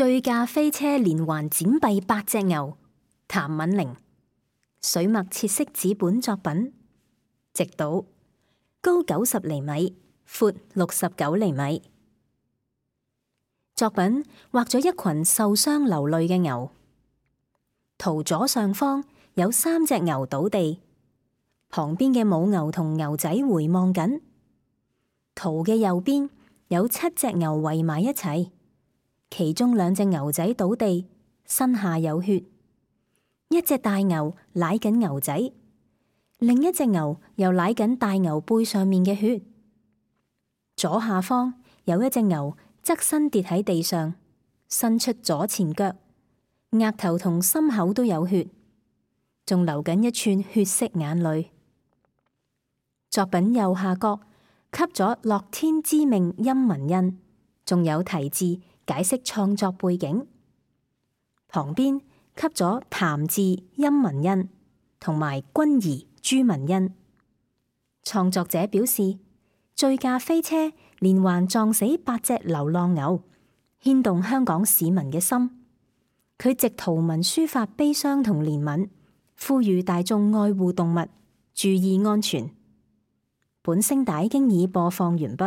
醉駕飛車連環剪斃8隻牛，譚敏玲。水墨切色紙本作品，直島，高90厘米，闊69厘米。作品畫咗一群受傷流淚嘅牛。圖左上方有3隻牛倒地，旁邊嘅母牛同牛仔回望緊。圖嘅右邊有7隻牛圍埋一齊，其中2隻牛仔倒地，身下有血。一隻大牛舐緊牛仔，另一隻牛又舐緊大牛背上面嘅血。左下方有一隻牛側身跌喺地上，伸出左前腳，額頭同心口都有血，仲流緊一串血色眼淚。作品右下角刻咗樂天知命陰文印，仲有題字解釋創作背景。旁邊刻咗譚字陰文印同埋君兒朱文印。創作者表示，醉駕飛車連環撞死8隻流浪牛，牽動香港市民嘅心。佢藉圖文抒發悲傷同憐憫，呼籲大眾愛護動物，注意安全。本聲帶經已播放完畢。